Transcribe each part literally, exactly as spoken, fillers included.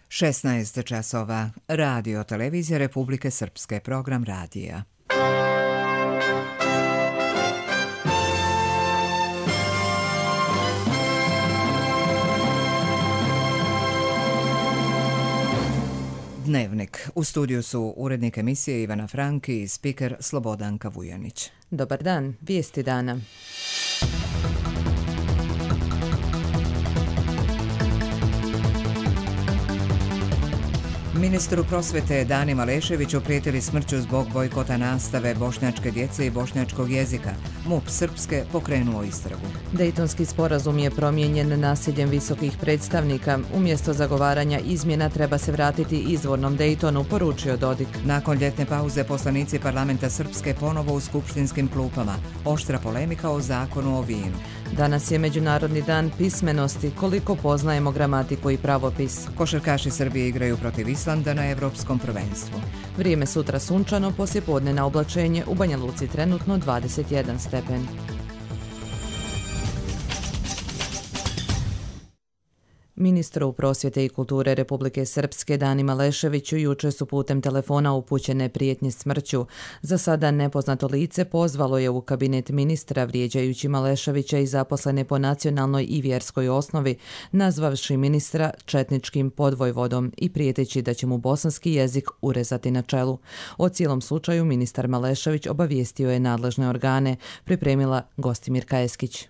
šesnaest časova. Radio Televizija Republike Srpske, program radija. Dnevnik. U studiju su urednik emisije Ivana Franki i spiker Slobodanka Vujanić. Dobar dan, vijesti dana. Ministru prosvete Dani Maleševiću prijetili smrću zbog bojkota nastave bošnjačke djece i bošnjačkog jezika. MUP Srpske pokrenuo istragu. Dejtonski sporazum je promijenjen nasiljem visokih predstavnika. Umjesto zagovaranja izmjena treba se vratiti izvornom Dejtonu, poručio Dodik. Nakon ljetne pauze poslanici parlamenta Srpske ponovo u skupštinskim klupama. Oštra polemika o zakonu o vinu. Danas je Međunarodni dan pismenosti. Koliko poznajemo gramatiku i pravopis? Košarkaši Srbije igraju protiv Islanda na Evropskom prvenstvu. Vrijeme sutra sunčano, poslijepodne na oblačenje, u Banja Luci trenutno dvadeset jedan stepen. Ministru prosvjete i kulture Republike Srpske Dani Maleševiću jučer su putem telefona upućene prijetnje smrću. Za sada nepoznato lice pozvalo je u kabinet ministra vrijeđajući Maleševića i zaposlene po nacionalnoj i vjerskoj osnovi, nazvavši ministra četničkim podvojvodom i prijeteći da će mu bosanski jezik urezati na čelu. O cijelom slučaju ministar Malešević obavijestio je nadležne organe, pripremila Gostimirka Eskić.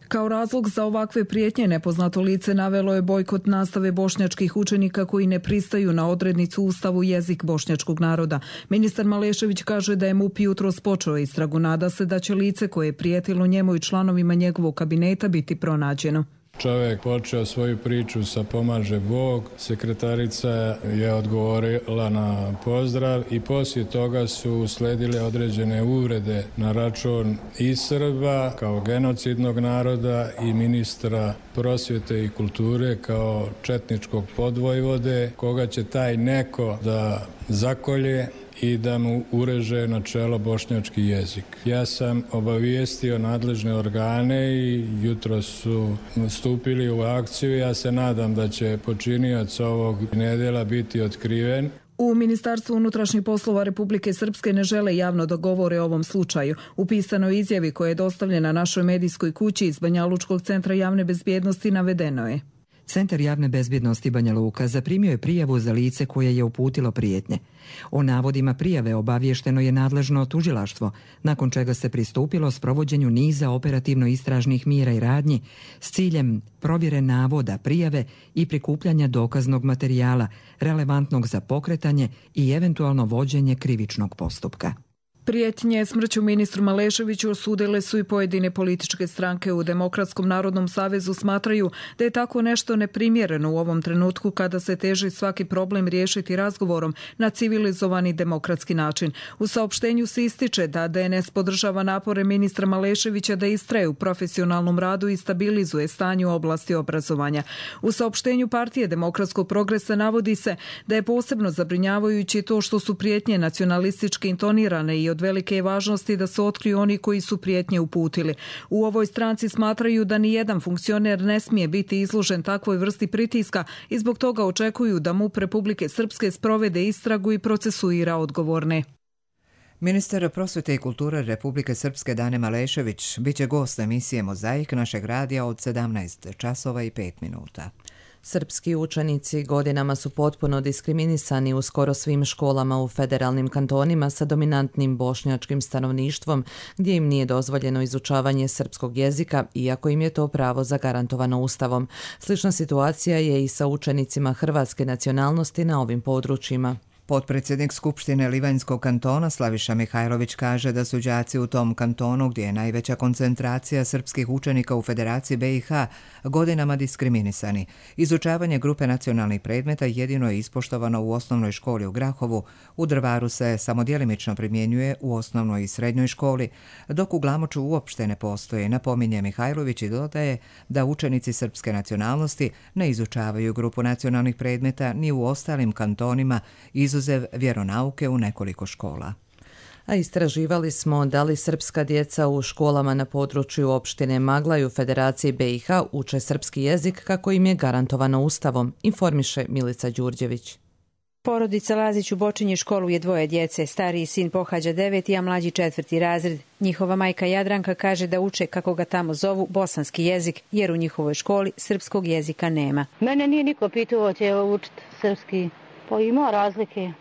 Kao razlog za ovakve prijetnje nepoznato lice navelo je bojkot nastave bošnjačkih učenika koji ne pristaju na odrednicu Ustavu jezik bošnjačkog naroda. Ministar Malešević kaže da je MUP jutros počeo istragu. Nada se da će lice koje je prijetilo njemu i članovima njegovog kabineta biti pronađeno. Čovjek počeo svoju priču sa pomaže Bog, sekretarica je odgovorila na pozdrav i poslije toga su usledile određene uvrede na račun i Srba kao genocidnog naroda i ministra prosvjete i kulture kao četničkog podvojvode, koga će taj neko da zakolje i da mu ureže na čelo bošnjački jezik. Ja sam obavijestio nadležne organe i jutro su stupili u akciju. Ja se nadam da će počinioc ovog nedjela biti otkriven. U Ministarstvu unutrašnjih poslova Republike Srpske ne žele javno da govore o ovom slučaju. U pisanoj izjavi koja je dostavljena našoj medijskoj kući iz Banjalučkog centra javne bezbjednosti navedeno je: Centar javne bezbjednosti Banja Luka zaprimio je prijavu za lice koje je uputilo prijetnje. O navodima prijave obavješteno je nadležno tužilaštvo, nakon čega se pristupilo sprovođenju niza operativno-istražnih mjera i radnji s ciljem provjere navoda, prijave i prikupljanja dokaznog materijala relevantnog za pokretanje i eventualno vođenje krivičnog postupka. Prijetnje smrću ministru Maleševiću osudile su i pojedine političke stranke. U Demokratskom narodnom savezu smatraju da je tako nešto neprimjereno u ovom trenutku kada se teži svaki problem riješiti razgovorom na civilizovani demokratski način. U saopštenju se ističe da D N S podržava napore ministra Maleševića da istraje u profesionalnom radu i stabilizuje stanje u oblasti obrazovanja. U saopštenju Partije demokratskog progresa navodi se da je posebno zabrinjavajući to što su prijetnje nacionalistički intonirane i od velike je važnosti da se otkriju oni koji su prijetnje uputili. U ovoj stranci smatraju da ni jedan funkcioner ne smije biti izložen takvoj vrsti pritiska i zbog toga očekuju da MUP Republike Srpske sprovede istragu i procesuira odgovorne. Ministar prosvjete i kulture Republike Srpske Dane Malešević biće gost emisije Mozaik našeg radija od sedamnaest časova i pet minuta. Srpski učenici godinama su potpuno diskriminisani u skoro svim školama u federalnim kantonima sa dominantnim bošnjačkim stanovništvom, gdje im nije dozvoljeno izučavanje srpskog jezika, iako im je to pravo zagarantovano Ustavom. Slična situacija je i sa učenicima hrvatske nacionalnosti na ovim područjima. Potpredsjednik Skupštine Livanjskog kantona Slaviša Mihajlović kaže da su đaci u tom kantonu, gdje je najveća koncentracija srpskih učenika u Federaciji B i H, godinama diskriminisani. Izučavanje grupe nacionalnih predmeta jedino je ispoštovano u osnovnoj školi u Grahovu, u Drvaru se samo djelimično primjenjuje u osnovnoj i srednjoj školi, dok u Glamoču uopšte ne postoji, napominje Mihajlović i dodaje da učenici srpske nacionalnosti ne izučavaju grupu nacionalnih predmeta ni u ostalim kantonima, izuzev vjeronauke u nekoliko škola. A istraživali smo da li srpska djeca u školama na području opštine Magla i u Federaciji B i H uče srpski jezik kako im je garantovano Ustavom, informiše Milica Đurđević. Porodica Lazić u Bočinji školu je dvoje djece. Stariji sin pohađa deveti, a mlađi četvrti razred. Njihova majka Jadranka kaže da uče, kako ga tamo zovu, bosanski jezik, jer u njihovoj školi srpskog jezika nema. Mene nije niko pitao će učiti srpski. Pa ima razlike.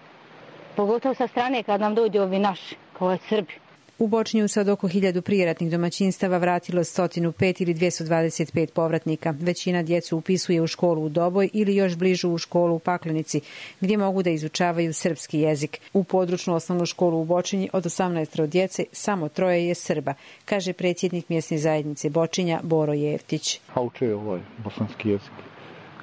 Pogotovo sa strane kad nam dođu ovi naši, kao je Srbi. U Bočinju se od oko hiljadu prijeratnih domaćinstava vratilo sto pet ili dvjesto dvadeset pet povratnika. Većina djecu upisuje u školu u Doboj ili još bližu u školu u Paklenici, gdje mogu da izučavaju srpski jezik. U područnu osnovnu školu u Bočinji od osamnaest djece samo troje je Srba, kaže predsjednik mjesne zajednice Bočinja Boro Jeftić. A uče ovaj bosanski jezik.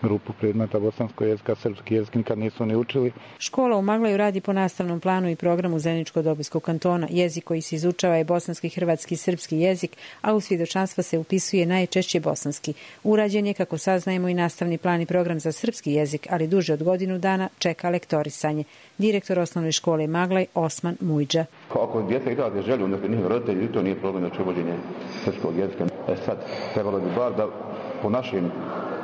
Grupu predmeta bosanskog jezika, srpski jezik nikad nisu ni učili. Škola u Maglaju radi po nastavnom planu i programu Zeničko-Dobojskog kantona. Jezik koji se izučava je bosanski, hrvatski i srpski jezik, a u svjedočanstva se upisuje najčešće bosanski. Urađen je, kako saznajemo, i nastavni plan i program za srpski jezik, ali duže od godinu dana čeka lektorisanje. Direktor osnovne škole Maglaj Osman Mujđa. Ako djeca izraze želju, onda njihovi roditelji, to nije problem za uvođenje srpskog jezika. E sad, trebalo bi bar da po našim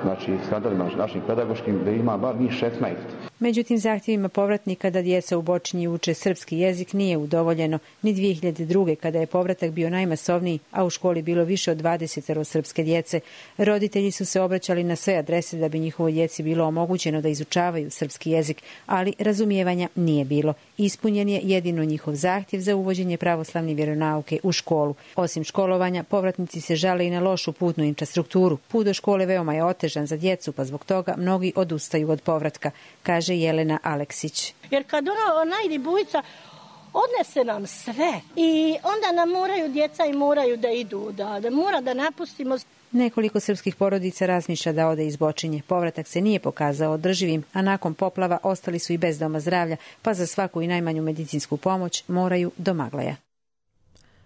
znači standardima našim pedagoškim da ima bar njih šesnaest. Međutim, zahtjevima povratnika da djeca u Bočinji uče srpski jezik nije udovoljeno ni dvije hiljade druge kada je povratak bio najmasovniji, a u školi bilo više od dvadeset srpske djece. Roditelji su se obraćali na sve adrese da bi njihovoj djeci bilo omogućeno da izučavaju srpski jezik, ali razumijevanja nije bilo. Ispunjen je jedino njihov zahtjev za uvođenje pravoslavne vjeronauke u školu. Osim školovanja, povratnici se žale i na lošu putnu infrastrukturu. Put do škole veoma je otežan za djecu, pa zbog toga mnogi odustaju od povratka, kaže Jelena Aleksić. Jer kad ona, ona ide bujica, odnese nam sve i onda nam moraju djeca i moraju da idu, da, da mora da napustimo. Nekoliko srpskih porodica razmišlja da ode iz Bočinje. Povratak se nije pokazao održivim, a nakon poplava ostali su i bez doma zdravlja, pa za svaku i najmanju medicinsku pomoć moraju do Maglaja.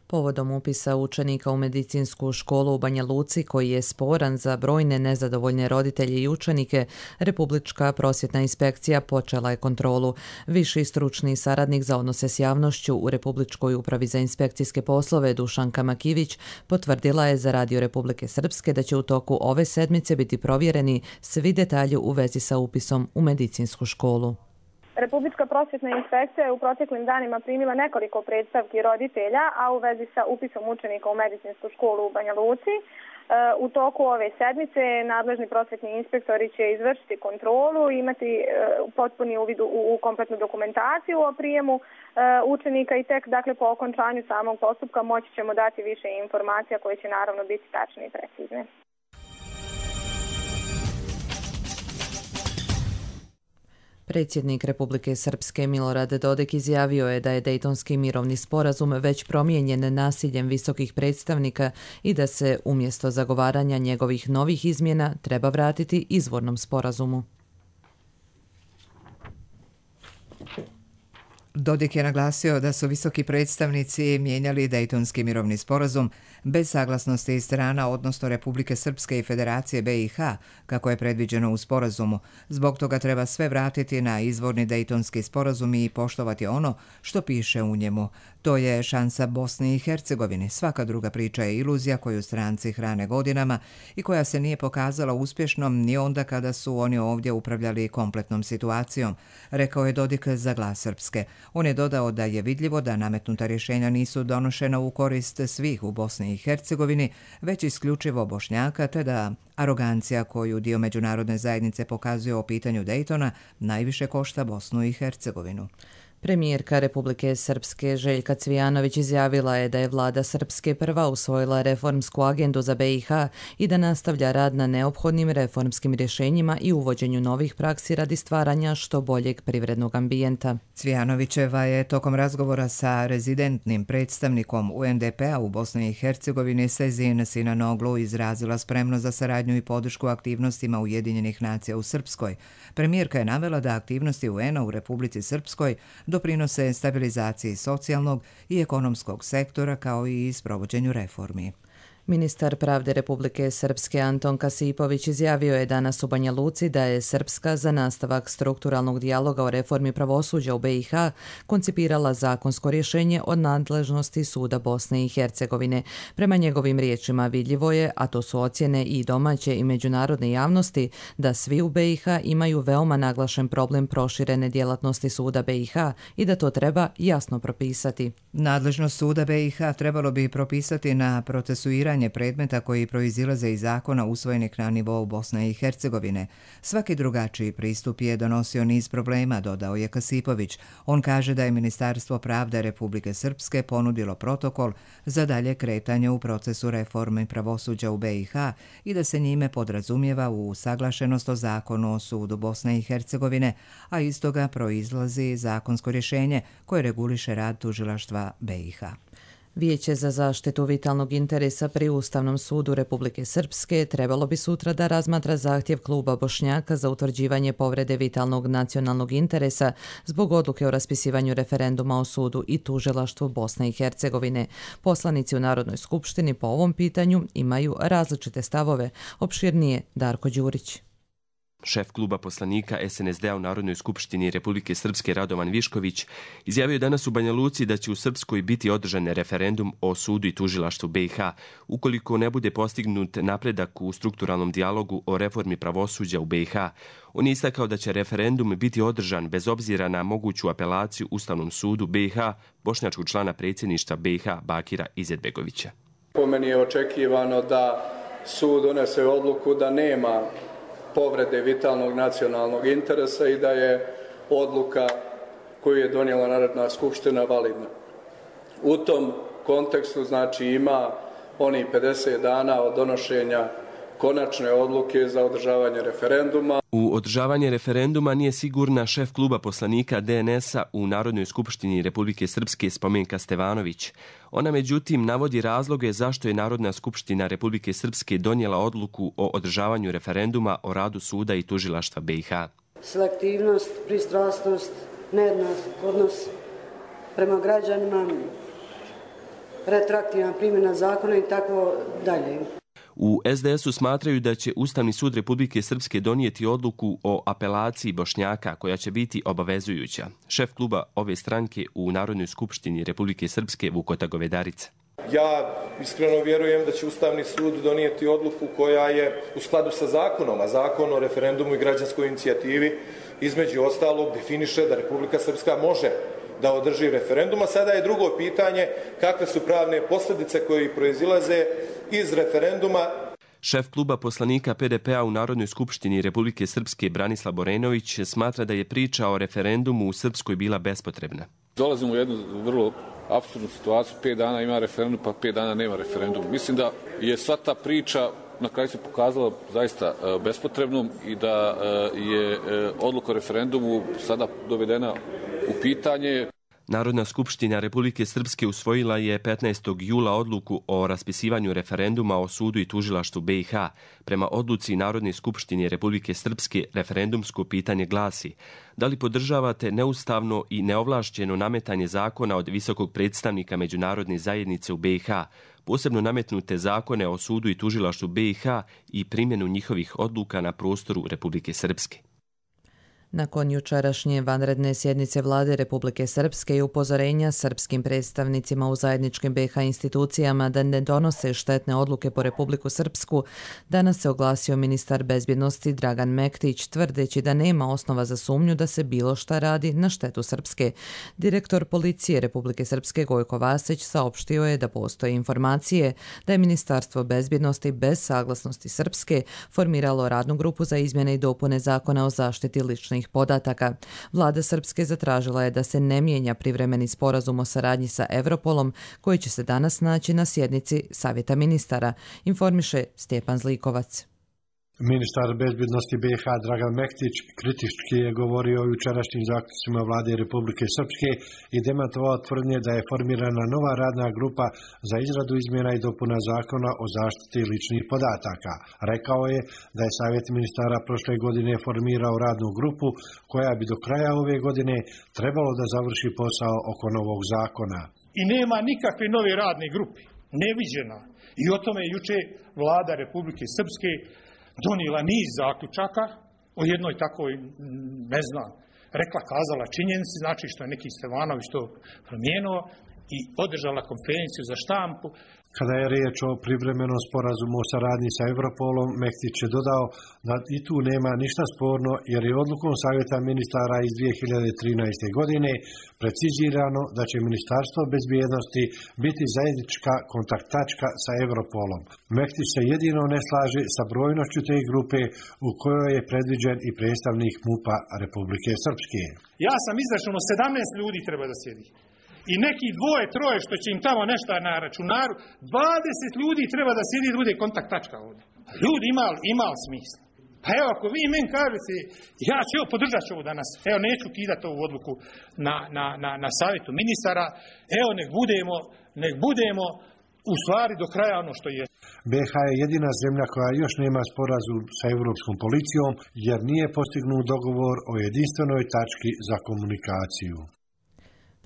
Povodom upisa učenika u medicinsku školu u Banja Luci, koji je sporan za brojne nezadovoljne roditelje i učenike, Republička prosvjetna inspekcija počela je kontrolu. Viši stručni saradnik za odnose s javnošću u Republičkoj upravi za inspekcijske poslove Dušanka Makivić potvrdila je za Radio Republike Srpske da će u toku ove sedmice biti provjereni svi detalji u vezi sa upisom u medicinsku školu. Republička prosvjetna inspekcija je u proteklim danima primila nekoliko predstavki roditelja, a u vezi sa upisom učenika u medicinsku školu u Banja Luci. U toku ove sedmice nadležni prosvjetni inspektori će izvršiti kontrolu i imati potpuni uvid u kompletnu dokumentaciju o prijemu učenika i tek dakle po okončanju samog postupka moći ćemo dati više informacija koje će naravno biti tačne i precizne. Predsjednik Republike Srpske Milorad Dodik izjavio je da je Dejtonski mirovni sporazum već promijenjen nasiljem visokih predstavnika i da se umjesto zagovaranja njegovih novih izmjena treba vratiti izvornom sporazumu. Dodik je naglasio da su visoki predstavnici mijenjali Dejtonski mirovni sporazum bez saglasnosti strana, odnosno Republike Srpske i Federacije B i H, kako je predviđeno u sporazumu. Zbog toga treba sve vratiti na izvorni Dejtonski sporazum i poštovati ono što piše u njemu. To je šansa Bosni i Hercegovini. Svaka druga priča je iluzija koju stranci hrane godinama i koja se nije pokazala uspješnom ni onda kada su oni ovdje upravljali kompletnom situacijom, rekao je Dodik za Glas Srpske. On je dodao da je vidljivo da nametnuta rješenja nisu donošena u korist svih u Bosni i Hercegovini, već isključivo Bošnjaka, te da arogancija koju dio međunarodne zajednice pokazuje o pitanju Dejtona najviše košta Bosnu i Hercegovinu. Premijerka Republike Srpske Željka Cvijanović izjavila je da je vlada Srpske prva usvojila reformsku agendu za B i H i da nastavlja rad na neophodnim reformskim rješenjima i uvođenju novih praksi radi stvaranja što boljeg privrednog ambijenta. Cvijanovićeva je tokom razgovora sa rezidentnim predstavnikom U N D P-a u Bosni i Hercegovini Sezin Sinanoglu izrazila spremnost za saradnju i podršku aktivnostima Ujedinjenih nacija u Srpskoj. Premijerka je navela da aktivnosti U N-a u Republici Srpskoj doprinose stabilizaciji socijalnog i ekonomskog sektora kao i sprovođenju reformi. Ministar pravde Republike Srpske Anton Kasipović izjavio je danas u Banja Luci da je Srpska za nastavak strukturalnog dijaloga o reformi pravosuđa u B i H koncipirala zakonsko rješenje od nadležnosti Suda Bosne i Hercegovine. Prema njegovim riječima vidljivo je, a to su ocjene i domaće i međunarodne javnosti, da svi u B i H imaju veoma naglašen problem proširene djelatnosti Suda B i H i da to treba jasno propisati. Nadležnost Suda B i H trebalo bi propisati na procesuiranje predmeta koji proizilaze iz zakona usvojenih na nivou Bosne i Hercegovine. Svaki drugačiji pristup je donosio niz problema, dodao je Kasipović. On kaže da je Ministarstvo pravde Republike Srpske ponudilo protokol za dalje kretanje u procesu reforme pravosuđa u B i H i da se njime podrazumijeva u usaglašenost o zakonu o Sudu Bosne i Hercegovine, a iz toga proizlazi zakonsko rješenje koje reguliše rad tužilaštva B i H. Vijeće za zaštitu vitalnog interesa pri Ustavnom sudu Republike Srpske trebalo bi sutra da razmatra zahtjev kluba Bošnjaka za utvrđivanje povrede vitalnog nacionalnog interesa zbog odluke o raspisivanju referenduma o sudu i tužilaštvu Bosne i Hercegovine. Poslanici u Narodnoj skupštini po ovom pitanju imaju različite stavove. Opširnije Darko Đurić. Šef kluba poslanika S N S D-a u Narodnoj skupštini Republike Srpske Radovan Višković izjavio je danas u Banja Luci da će u Srpskoj biti održan referendum o sudu i tužilaštvu B i H ukoliko ne bude postignut napredak u strukturalnom dijalogu o reformi pravosuđa u B i H. On je istakao da će referendum biti održan bez obzira na moguću apelaciju Ustavnom sudu B i H bošnjačkog člana predsjedništva B i H Bakira Izetbegovića. Po meni je očekivano da sud donese odluku da nema povrede vitalnog nacionalnog interesa i da je odluka koju je donijela Narodna skupština validna. U tom kontekstu znači ima oni pedeset dana od donošenja konačne odluke za održavanje referenduma. U održavanje referenduma nije sigurna šef kluba poslanika D N S-a u Narodnoj skupštini Republike Srpske Spomenka Stevanović. Ona međutim navodi razloge zašto je Narodna skupština Republike Srpske donijela odluku o održavanju referenduma o radu suda i tužilaštva B i H. Selektivnost, pristrasnost, nejednak odnos prema građanima, retroaktivna primjena zakona i tako dalje. U S D S-u smatraju da će Ustavni sud Republike Srpske donijeti odluku o apelaciji Bošnjaka koja će biti obavezujuća. Šef kluba ove stranke u Narodnoj skupštini Republike Srpske Vukota Govedarica. Ja iskreno vjerujem da će Ustavni sud donijeti odluku koja je u skladu sa zakonom, a zakon o referendumu i građanskoj inicijativi između ostalog definiše da Republika Srpska može da održi referendum, a sada je drugo pitanje kakve su pravne posljedice koje proizilaze iz referenduma. Šef kluba poslanika P D P-a u Narodnoj skupštini Republike Srpske Branislav Borenović smatra da je priča o referendumu u Srpskoj bila bespotrebna. Dolazimo u jednu vrlo apsurdnu situaciju, pet dana ima referendum pa pet dana nema referendum. Mislim da je sva ta priča na kraju se pokazala zaista bespotrebnom i da je odluka o referendumu sada dovedena u pitanje. Narodna skupština Republike Srpske usvojila je petnaestog jula odluku o raspisivanju referenduma o sudu i tužilaštvu B i H. Prema odluci Narodne skupštine Republike Srpske referendumsko pitanje glasi: da li podržavate neustavno i neovlašćeno nametanje zakona od visokog predstavnika međunarodne zajednice u B i H, posebno nametnute zakone o sudu i tužilaštvu B i H i primjenu njihovih odluka na prostoru Republike Srpske. Nakon jučerašnje vanredne sjednice Vlade Republike Srpske i upozorenja srpskim predstavnicima u zajedničkim B i H institucijama da ne donose štetne odluke po Republiku Srpsku, danas se oglasio ministar bezbjednosti Dragan Mektić, tvrdeći da nema osnova za sumnju da se bilo šta radi na štetu Srpske. Direktor policije Republike Srpske Gojko Vasić saopštio je da postoje informacije da je Ministarstvo bezbjednosti bez saglasnosti Srpske formiralo radnu grupu za izmjene i dopune zakona o zaštiti ličnih podataka. Vlada Srpske zatražila je da se ne mijenja privremeni sporazum o saradnji sa Europolom, koji će se danas naći na sjednici Savjeta ministara, informiše Stjepan Zlikovac. Ministar bezbjednosti B i H Dragan Mektić kritički je govorio o jučerašnjim zaključcima Vlade Republike Srpske i demantovao tvrdnje da je formirana nova radna grupa za izradu izmjena i dopuna zakona o zaštiti ličnih podataka. Rekao je da je Savjet ministara prošle godine formirao radnu grupu koja bi do kraja ove godine trebalo da završi posao oko novog zakona. I nema nikakve nove radne grupe. neviđena. I o tome je juče vlada Republike Srpske donijela niz zaključaka o jednoj takoj, ne znam, rekla, kazala činjenici, znači što je neki Stevanović to promijenuo i održala konferenciju za štampu. Kada je riječ o privremenom sporazumu o saradnji sa Europolom, Mektić je dodao da i tu nema ništa sporno jer je odlukom Savjeta ministara iz dvije hiljade trinaeste. godine precizirano da će Ministarstvo bezbjednosti biti zajednička kontakt tačka sa Europolom. Mektić se jedino ne slaže sa brojnošću te grupe u kojoj je predviđen i predstavnik MUP-a Republike Srpske. Ja sam izračunao sedamnaest ljudi treba da sjedi. I neki dvoje, troje što će im tamo nešto na računaru, dvadeset ljudi treba da sjedi da bude kontakt tačka ovdje. Ljudi ima, ima smisla. Pa evo, ako vi meni kažete, ja ću evo podržat ću ovo danas, evo neću kidati ovu odluku na, na, na, na savjetu ministara, evo nek budemo, nek budemo u stvari do kraja ono što je. B iH je jedina zemlja koja još nema sporazum sa Europskom policijom jer nije postignut dogovor o jedinstvenoj tački za komunikaciju.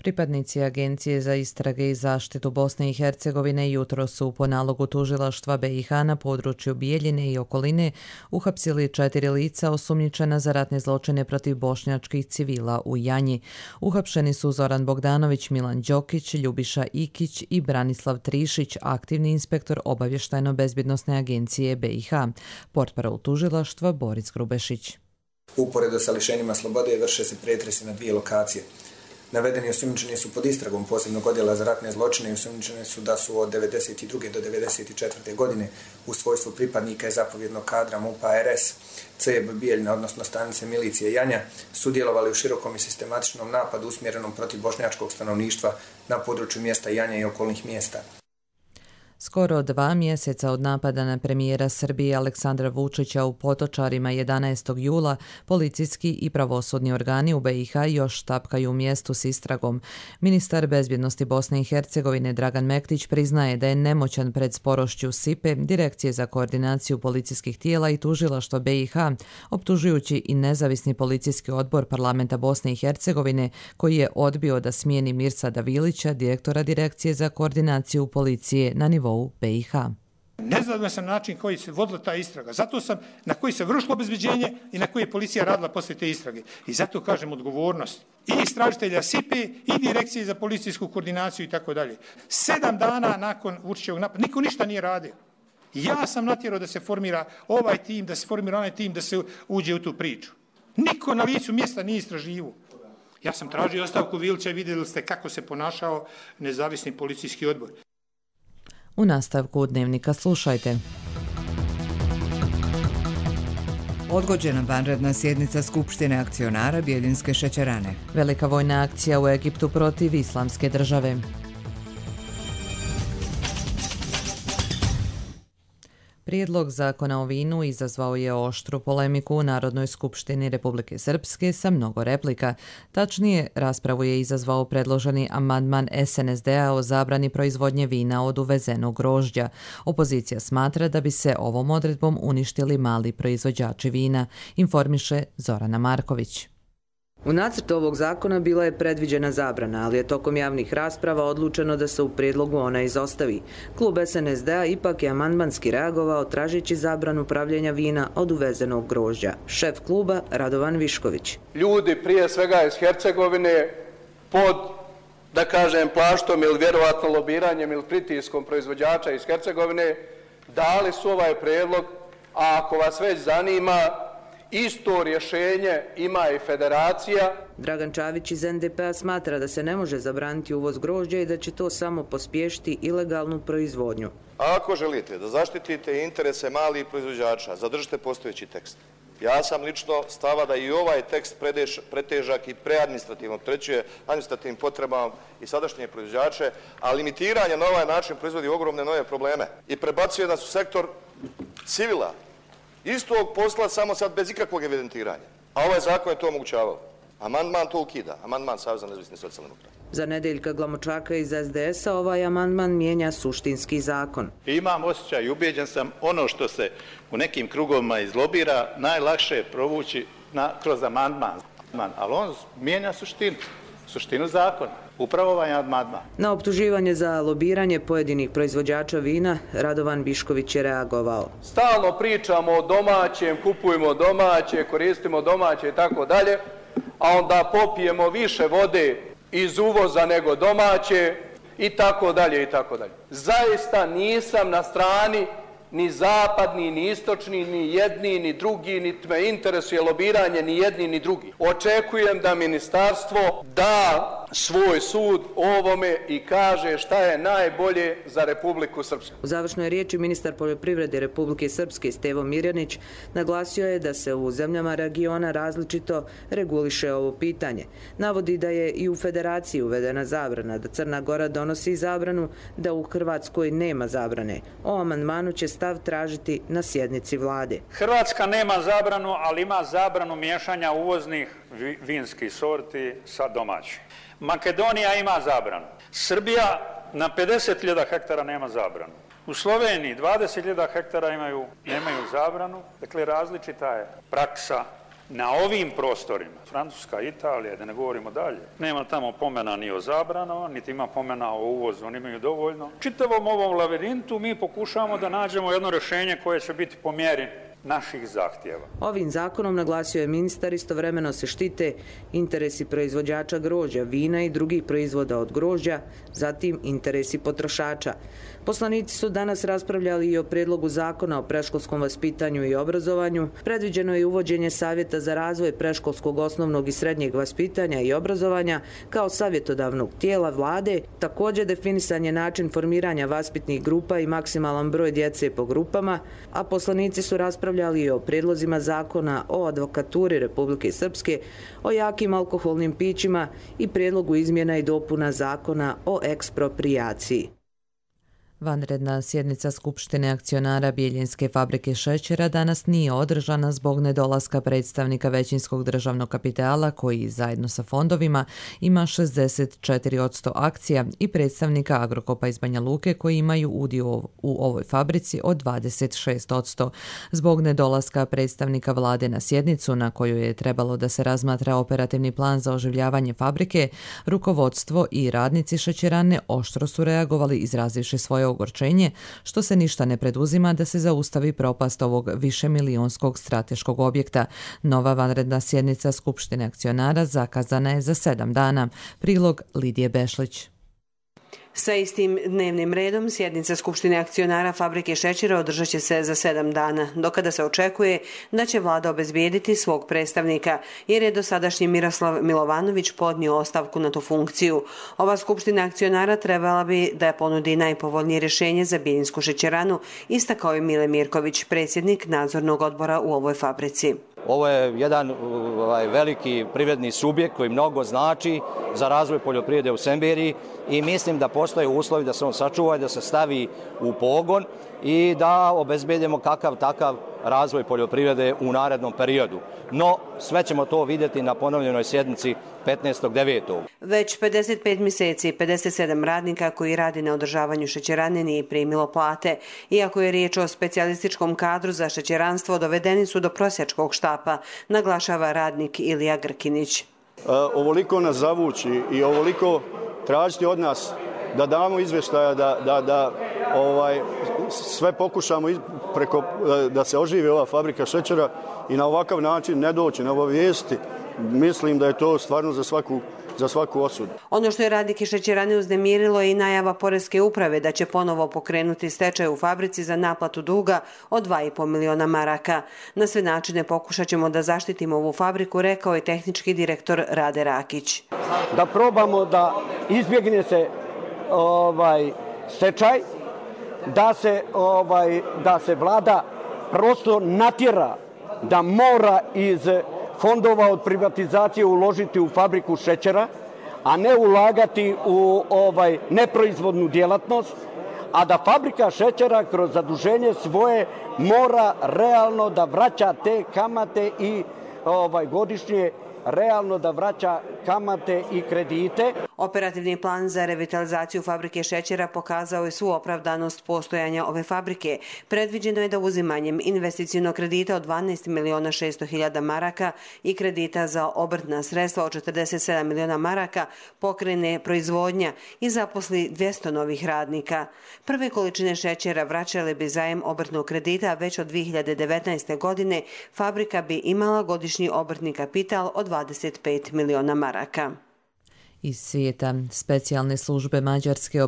Pripadnici Agencije za istrage i zaštitu Bosne i Hercegovine jutro su po nalogu tužilaštva B iH na području Bijeljine i okoline uhapsili četiri lica osumnjičena za ratne zločine protiv bošnjačkih civila u Janji. Uhapšeni su Zoran Bogdanović, Milan Đokić, Ljubiša Ikić i Branislav Trišić, aktivni inspektor obavještajno-bezbjednosne agencije B iH. Portparol tužilaštva Boris Grubešić. Uporedo sa lišenjima slobode vrše se pretresi na dvije lokacije. Navedeni osumnjičeni su pod istragom posebnog odjela za ratne zločine i osumnjičeni su da su od devedeset druge do devedeset četvrte. godine u svojstvu pripadnika i zapovjednog kadra MUP-a R S, C B Bijeljina, odnosno stanice milicije Janja, sudjelovali u širokom i sistematičnom napadu usmjerenom protiv bošnjačkog stanovništva na području mjesta Janja i okolnih mjesta. Skoro dva mjeseca od napada na premijera Srbije Aleksandra Vučića u Potočarima jedanaestog jula, policijski i pravosudni organi u B iH još tapkaju u mjestu s istragom. Ministar bezbjednosti Bosne i Hercegovine Dragan Mektić priznaje da je nemoćan pred sporošću S I P E, Direkcije za koordinaciju policijskih tijela i tužilaštva B iH, optužujući i nezavisni policijski odbor parlamenta Bosne i Hercegovine koji je odbio da smijeni Mirsada Vilića, direktora Direkcije za koordinaciju policije na nivou B iH. Nezadovoljan sam način koji se vodila ta istraga. Zato sam na koji se vršilo obezbeđenje i na koji je policija radila poslije te istrage. I zato kažem odgovornost i istražitelja S I P E i Direkcije za policijsku koordinaciju i tako dalje. Sedam dana nakon Vučićevog napada niko ništa nije radio. Ja sam natjerao da se formira ovaj tim, da se formira onaj tim, da se uđe u tu priču. Niko na licu mjesta nije istraživao. Ja sam tražio ostavku Vilića i vidjeli ste kako se ponašao nezavisni policijski odbor. U nastavku Dnevnika slušajte. Odgođena vanredna sjednica Skupštine akcionara Bijeljinske šećerane. Velika vojna akcija u Egiptu protiv Islamske države. Prijedlog zakona o vinu izazvao je oštru polemiku u Narodnoj skupštini Republike Srpske sa mnogo replika. Tačnije, raspravu je izazvao predloženi amandman S N S D-a o zabrani proizvodnje vina od uvezenog grožđa. Opozicija smatra da bi se ovom odredbom uništili mali proizvođači vina, informiše Zorana Marković. U nacrtu ovog zakona bila je predviđena zabrana, ali je tokom javnih rasprava odlučeno da se u prijedlogu ona izostavi. Klub S N S D-a ipak je amandmanski reagovao tražeći zabranu pravljenja vina od uvezenog grožđa. Šef kluba Radovan Višković. Ljudi prije svega iz Hercegovine pod, da kažem, plaštom ili vjerovatno lobiranjem ili pritiskom proizvođača iz Hercegovine dali su ovaj prijedlog, a ako vas već zanima, isto rješenje ima i federacija. Dragan Čavić iz N D P-a smatra da se ne može zabraniti uvoz grožđa i da će to samo pospješiti ilegalnu proizvodnju. A ako želite da zaštitite interese malih proizvođača, zadržite postojeći tekst. Ja sam lično stava da i ovaj tekst pretežak i preadministrativno opterećuje administrativnim potrebama i sadašnje proizvođače, a limitiranje na ovaj način proizvodi ogromne nove probleme i prebacuje nas u sektor civila. Istog posla, samo sad bez ikakvog evidentiranja. A ovaj zakon je to omogućavao. Amandman to ukida. Amandman Saveza nezavisnih socijaldemokrata. Za Nedeljka Glamočaka iz S D S-a ovaj amandman mijenja suštinski zakon. Imam osjećaj i ubijeđen sam ono što se u nekim krugovima izlobira najlakše je provući na, kroz amandman. Ali on mijenja suštinu, suštinu zakona. Upravo ovaj amandman. Na optuživanje za lobiranje pojedinih proizvođača vina Radovan Bišković je reagovao. Stalno pričamo o domaćem, kupujemo domaće, koristimo domaće i tako dalje, a onda popijemo više vode iz uvoza nego domaće i tako dalje i tako dalje. Zaista nisam na strani ni zapadni, ni istočni, ni jedni, ni drugi, niti me interesuje lobiranje ni jedni, ni drugi. Očekujem da ministarstvo da svoj sud ovome i kaže šta je najbolje za Republiku Srpsku. U završnoj riječi ministar poljoprivrede Republike Srpske Stevo Mirjanić naglasio je da se u zemljama regiona različito reguliše ovo pitanje. Navodi da je i u Federaciji uvedena zabrana, da Crna Gora donosi zabranu, da u Hrvatskoj nema zabrane. O amandmanu će stav tražiti na sjednici vlade. Hrvatska nema zabranu, ali ima zabranu miješanja uvoznih vinskih sorti sa domaćim. Makedonija ima zabranu. Srbija na pedeset hiljada hektara nema zabranu. U Sloveniji dvadeset hiljada hektara imaju, nemaju zabranu. Dakle, različita je praksa na ovim prostorima. Francuska, Italija, da ne govorimo dalje. Nema tamo pomena ni o zabranama, niti ima pomena o uvozu, oni imaju dovoljno. Čitavom ovom labirintu mi pokušavamo da nađemo jedno rješenje koje će biti po mjeri naših zahtjeva. Ovim zakonom, naglasio je ministar, istovremeno se štite interesi proizvođača grožđa, vina i drugih proizvoda od grožđa, zatim interesi potrošača. Poslanici su danas raspravljali i o prijedlogu zakona o predškolskom vaspitanju i obrazovanju. Predviđeno je uvođenje savjeta za razvoj predškolskog osnovnog i srednjeg vaspitanja i obrazovanja kao savjetodavnog tijela vlade. Također definisan je način formiranja vaspitnih grupa i maksimalan broj djece po grupama, a poslanici su raspravljali i o prijedlozima zakona o advokaturi Republike Srpske, o jakim alkoholnim pićima i prijedlogu izmjena i dopuna zakona o eksproprijaciji. Vanredna sjednica Skupštine akcionara Bijeljinske fabrike šećera danas nije održana zbog nedolaska predstavnika većinskog državnog kapitala koji zajedno sa fondovima ima šezdeset četiri posto akcija i predstavnika Agrokopa iz Banja Luke koji imaju udio u ovoj fabrici od dvadeset šest posto. Zbog nedolaska predstavnika vlade na sjednicu na kojoj je trebalo da se razmatra operativni plan za oživljavanje fabrike, rukovodstvo i radnici šećerane oštro su reagovali izrazivši svoje ogorčenje, što se ništa ne preduzima da se zaustavi propast ovog višemilijonskog strateškog objekta. Nova vanredna sjednica Skupštine akcionara zakazana je za sedam dana. Prilog Lidije Bešlić. Sa istim dnevnim redom sjednica Skupštine akcionara fabrike šećera održat će se za sedam dana, do kada se očekuje da će vlada obezbijediti svog predstavnika, jer je dosadašnji Miroslav Milovanović podnio ostavku na tu funkciju. Ova Skupština akcionara trebala bi da ponudi najpovoljnije rješenje za Biljinsku šećeranu, istakao je Mile Mirković, predsjednik nadzornog odbora u ovoj fabrici. Ovo je jedan ovaj, veliki privredni subjekt koji mnogo znači za razvoj poljoprivrede u Semberiji i mislim da postoje uslovi da se on sačuva i da se stavi u pogon i da obezbedimo kakav takav razvoj poljoprivrede u narednom periodu. No, sve ćemo to vidjeti na ponovljenoj sjednici petnaestog devetog Već pedeset pet mjeseci pedeset sedam radnika koji radi na održavanju šećerane nije primilo plate. Iako je riječ o specijalističkom kadru za šećeranstvo, dovedeni su do prosjačkog štapa, naglašava radnik Ilija Grkinić. E, ovoliko nas zavući i ovoliko tražiti od nas da damo izvještaja, da, da, da ovaj, sve pokušamo preko, da se oživi ova fabrika šećera i na ovakav način ne doći na obavijesti, mislim da je to stvarno za svaku, za svaku osudu. Ono što je radnike šećerane uznemirilo je i najava Poreske uprave da će ponovo pokrenuti stečaj u fabrici za naplatu duga od dva i po miliona maraka. Na sve načine pokušat ćemo da zaštitimo ovu fabriku, rekao je tehnički direktor Rade Rakić. Da probamo da izbjegne se ovaj stečaj, da se ovaj da se vlada prosto natjera da mora iz fondova od privatizacije uložiti u fabriku šećera, a ne ulagati u ovaj neproizvodnu djelatnost, a da fabrika šećera kroz zaduženje svoje mora realno da vraća te kamate i ovaj godišnje realno da vraća kamate i kredite. Operativni plan za revitalizaciju fabrike šećera pokazao je svu opravdanost postojanja ove fabrike. Predviđeno je da uzimanjem investicionog kredita od dvanaest miliona šesto hiljada maraka i kredita za obrtna sredstva od četrdeset sedam miliona maraka pokrene proizvodnja i zaposli dvjesto novih radnika. Prve količine šećera vraćale bi zajem obrtnog kredita, već od dvije hiljade devetnaeste. godine fabrika bi imala godišnji obrtni kapital od dvadeset pet miliona maraka. Iz svijeta, specijalne službe Mađarske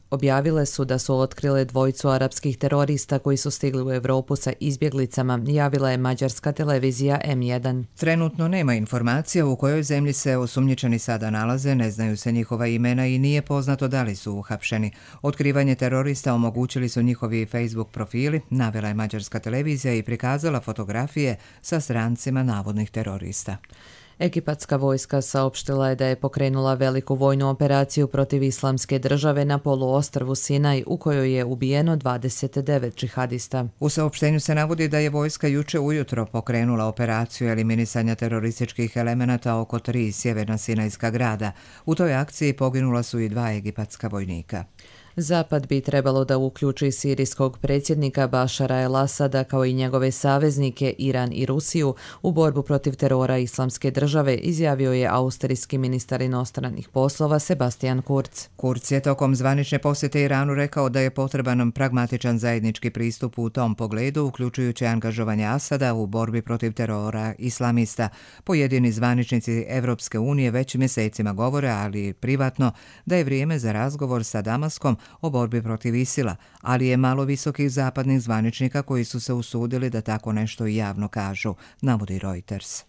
objavile su da su otkrile dvojicu arapskih terorista koji su stigli u Europu sa izbjeglicama, javila je mađarska televizija M jedan. Trenutno nema informacija u kojoj zemlji se osumnjičeni sada nalaze, ne znaju se njihova imena i nije poznato da li su uhapšeni. Otkrivanje terorista omogućili su njihovi Facebook profili, navela je mađarska televizija i prikazala fotografije sa strancima navodnih terorista. Egipatska vojska saopštila je da je pokrenula veliku vojnu operaciju protiv Islamske države na poluostrvu Sinaj, u kojoj je ubijeno dvadeset devet džihadista. U saopštenju se navodi da je vojska juče ujutro pokrenula operaciju eliminisanja terorističkih elemenata oko tri sjeverna sinajska grada. U toj akciji poginula su i dva egipatska vojnika. Zapad bi trebalo da uključi sirijskog predsjednika Bašara el-Asada kao i njegove saveznike Iran i Rusiju u borbu protiv terora Islamske države, izjavio je austrijski ministar inostranih poslova Sebastian Kurz. Kurz je tokom zvanične posjete Iranu rekao da je potreban pragmatičan zajednički pristup u tom pogledu, uključujući angažovanje Asada u borbi protiv terora islamista. Pojedini zvaničnici Evropske unije već mjesecima govore, ali privatno, da je vrijeme za razgovor sa Damaskom o borbi protiv Isila, ali je malo visokih zapadnih zvaničnika koji su se usudili da tako nešto i javno kažu, navodi Reuters.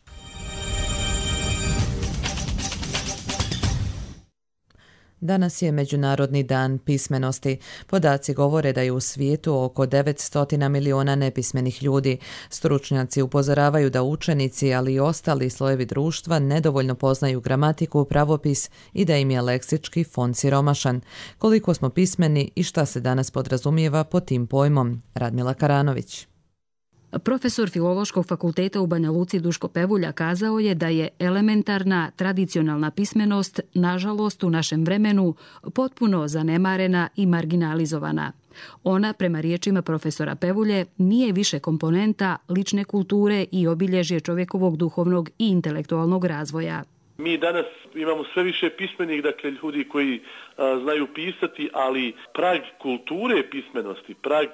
Danas je Međunarodni dan pismenosti. Podaci govore da je u svijetu oko devetsto miliona nepismenih ljudi. Stručnjaci upozoravaju da učenici, ali i ostali slojevi društva nedovoljno poznaju gramatiku, pravopis i da im je leksički fond siromašan. Koliko smo pismeni i šta se danas podrazumijeva pod tim pojmom? Radmila Karanović. Profesor Filološkog fakulteta u Banja Luci Duško Pevulja kazao je da je elementarna tradicionalna pismenost, nažalost u našem vremenu, potpuno zanemarena i marginalizovana. Ona, prema riječima profesora Pevulje, nije više komponenta lične kulture i obilježje čovjekovog duhovnog i intelektualnog razvoja. Mi danas imamo sve više pismenih, dakle ljudi koji a, znaju pisati, ali prag kulture pismenosti, prag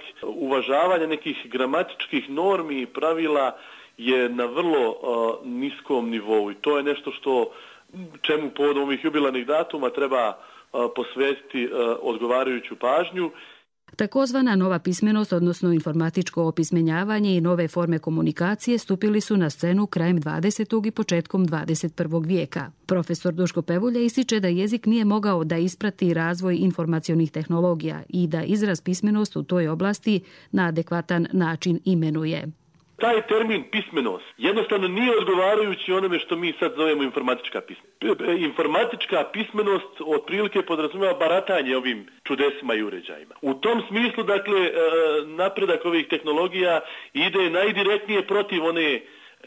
uvažavanja nekih gramatičkih normi i pravila je na vrlo a, niskom nivou i to je nešto što čemu povodom ovih jubilarnih datuma treba a, posvetiti a, odgovarajuću pažnju. Takozvana nova pismenost, odnosno informatičko opismenjavanje i nove forme komunikacije stupili su na scenu krajem dvadesetog i početkom dvadeset prvog vijeka. Profesor Duško Pevulja ističe da jezik nije mogao da isprati razvoj informacionih tehnologija i da izraz pismenost u toj oblasti na adekvatan način imenuje. Taj termin pismenost jednostavno nije odgovarajući onome što mi sad zovemo informatička pismenost. Informatička pismenost otprilike podrazumijeva baratanje ovim čudesima i uređajima. U tom smislu, dakle, napredak ovih tehnologija ide najdirektnije protiv one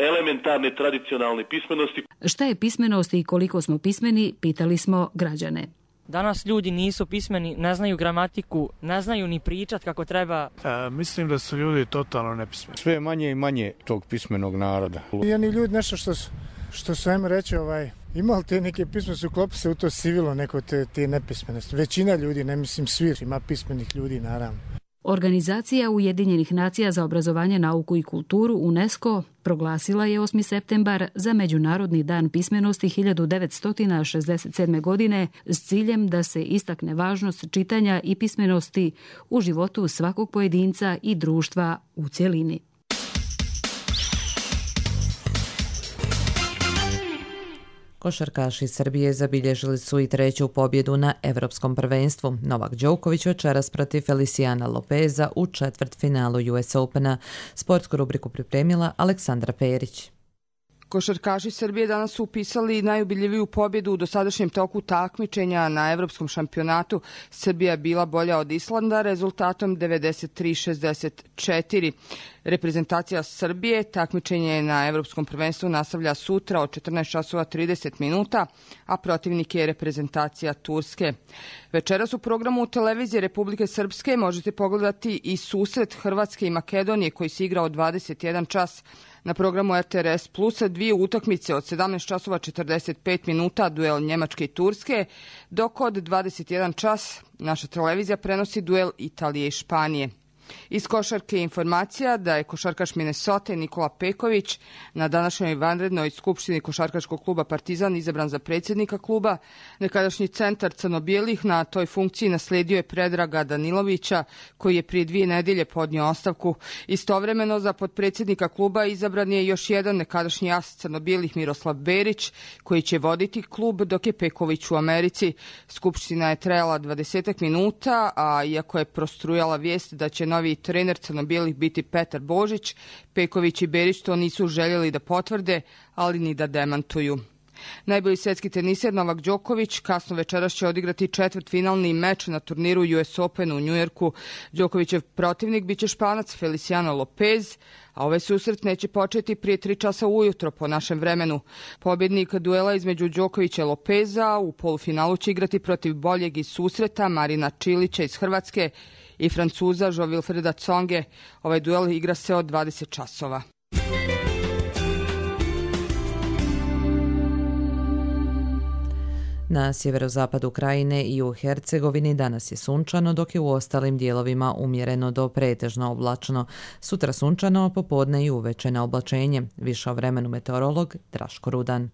elementarne tradicionalne pismenosti. Šta je pismenost i koliko smo pismeni, pitali smo građane. Danas ljudi nisu pismeni, ne znaju gramatiku, ne znaju ni pričat kako treba. E, mislim da su ljudi totalno nepismeni. Sve manje i manje tog pismenog naroda. Jedni ljudi nešto što su, što su ajmo reći, ovaj, imali te neke pismenosti, uklopi se u to sivilo neko te, te nepismenosti. Većina ljudi, ne mislim svi, ima pismenih ljudi naravno. Organizacija Ujedinjenih nacija za obrazovanje, nauku i kulturu UNESCO proglasila je osmi septembar za Međunarodni dan pismenosti hiljadu devetsto šezdeset sedme. godine s ciljem da se istakne važnost čitanja i pismenosti u životu svakog pojedinca i društva u cjelini. Košarkaši Srbije zabilježili su i treću pobjedu na Evropskom prvenstvu. Novak Đoković večeras protiv Feliciana Lopeza u četvrtfinalu U S Opena. Sportsku rubriku pripremila Aleksandra Perić. Košarkaši Srbije danas su upisali najubiljiviju pobjedu u dosadašnjem toku takmičenja na evropskom šampionatu. Srbija je bila bolja od Islanda rezultatom devedeset tri šezdeset četiri. Reprezentacija Srbije takmičenje na evropskom prvenstvu nastavlja sutra od četrnaest časova trideset minuta, a protivnik je reprezentacija Turske. Večeras u programu televizije Republike Srpske možete pogledati i susret Hrvatske i Makedonije koji se igra od dvadeset jedan čas. Na programu R T R S Plusa dvije utakmice od sedamnaest časova četrdeset pet minuta, duel Njemačke i Turske, dok od dvadeset jedan čas naša televizija prenosi duel Italije i Španije. Iz košarke informacija da je košarkaš Minnesota Nikola Peković na današnjoj vanrednoj skupštini košarkaškog kluba Partizan izabran za predsjednika kluba. Nekadašnji centar crno-bijelih na toj funkciji naslijedio je Predraga Danilovića koji je prije dvije nedjelje podnio ostavku. Istovremeno za potpredsjednika kluba izabran je još jedan nekadašnji as crno-bijelih Miroslav Berić koji će voditi klub dok je Peković u Americi. Skupština je trajala dvadeset minuta, a iako je prostrujala vijest da će novi trener crno-bijelih biti Petar Božić, Peković i Berić to nisu željeli da potvrde, ali ni da demantuju. Najbolji svjetski teniser Novak Đoković kasno večeras će odigrati četvrtfinalni meč na turniru U S Open u Njujorku. Đokovićev protivnik biće Španac Feliciano Lopez, a ovaj susret neće početi prije tri časa ujutro po našem vremenu. Pobjednik duela između Đokovića i Lopeza u polufinalu će igrati protiv boljeg iz susreta Marina Čilića iz Hrvatske i Francuza Jo-Wilfreda Tsonge. Ovaj duel igra se od dvadeset časova. Na sjeverozapadu Krajine i u Hercegovini danas je sunčano, dok je u ostalim dijelovima umjereno do pretežno oblačno. Sutra sunčano, popodne i uveče na oblačenje. Više o vremenu meteorolog Draško Rudan.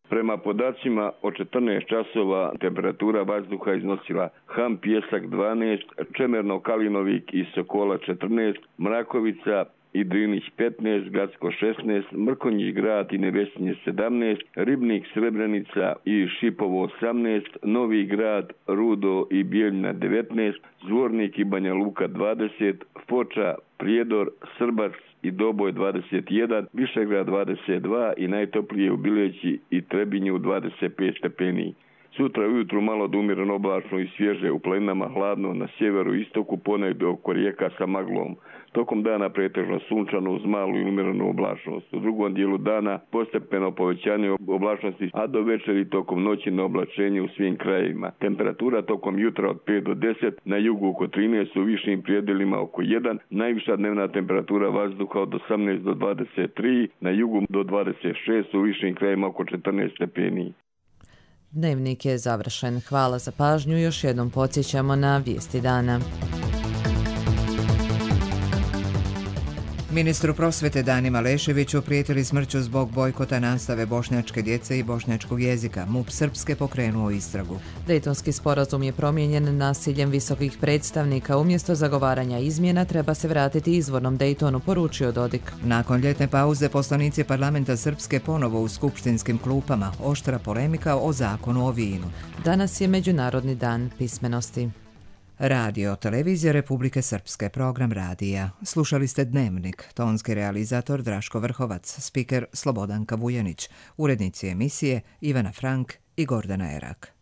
Prema podacima od četrnaest časova temperatura vazduha iznosila Ham Pjesak dvanaest, Čemerno Kalinovik i Sokola četrnaest, Mrakovica i Drinić petnaest, Gacko šesnaest, Mrkonjić Grad i Nevesinje sedamnaest, Ribnik, Srebrenica i Šipovo osamnaest, Novi Grad, Rudo i Bijeljina devetnaest, Zvornik i Banja Luka dvadeset, Foča, Prijedor, Srbac i Doboj dvadeset jedan, Višegrad dvadeset dva i najtoplije u Bileći i Trebinju dvadeset pet stepeni. Sutra ujutru malo da umjereno oblačno i svježe, u planinama hladno, na sjeveru i istoku ponegdje oko rijeka sa maglom. Tokom dana pretežno sunčano uz malu i umjerenu oblačnost. U drugom dijelu dana postepeno povećanje oblačnosti, a do večeri tokom noći na oblačenje u svim krajevima. Temperatura tokom jutra od pet do deset, na jugu oko trinaest, u višim prijedelima oko jedan, najviša dnevna temperatura vazduha od osamnaest do dvadeset tri, na jugu do dvadeset šest, u višim krajevima oko četrnaest stepeni. Dnevnik je završen. Hvala za pažnju. Još jednom podsjećamo na vijesti dana. Ministru prosvete Dani Maleševiću prijetili smrću zbog bojkota nastave bošnjačke djece i bošnjačkog jezika. M U P Srpske pokrenuo istragu. Dejtonski sporazum je promijenjen nasiljem visokih predstavnika. Umjesto zagovaranja izmjena treba se vratiti izvornom Dejtonu, poručio Dodik. Nakon ljetne pauze poslanici parlamenta Srpske ponovo u skupštinskim klupama. Oštra polemika o zakonu o vinu. Danas je Međunarodni dan pismenosti. Radio, televizija Republike Srpske, program radija. Slušali ste Dnevnik, tonski realizator Draško Vrhovac, spiker Slobodanka Vujanić, urednici emisije Ivana Frank i Gordana Erak.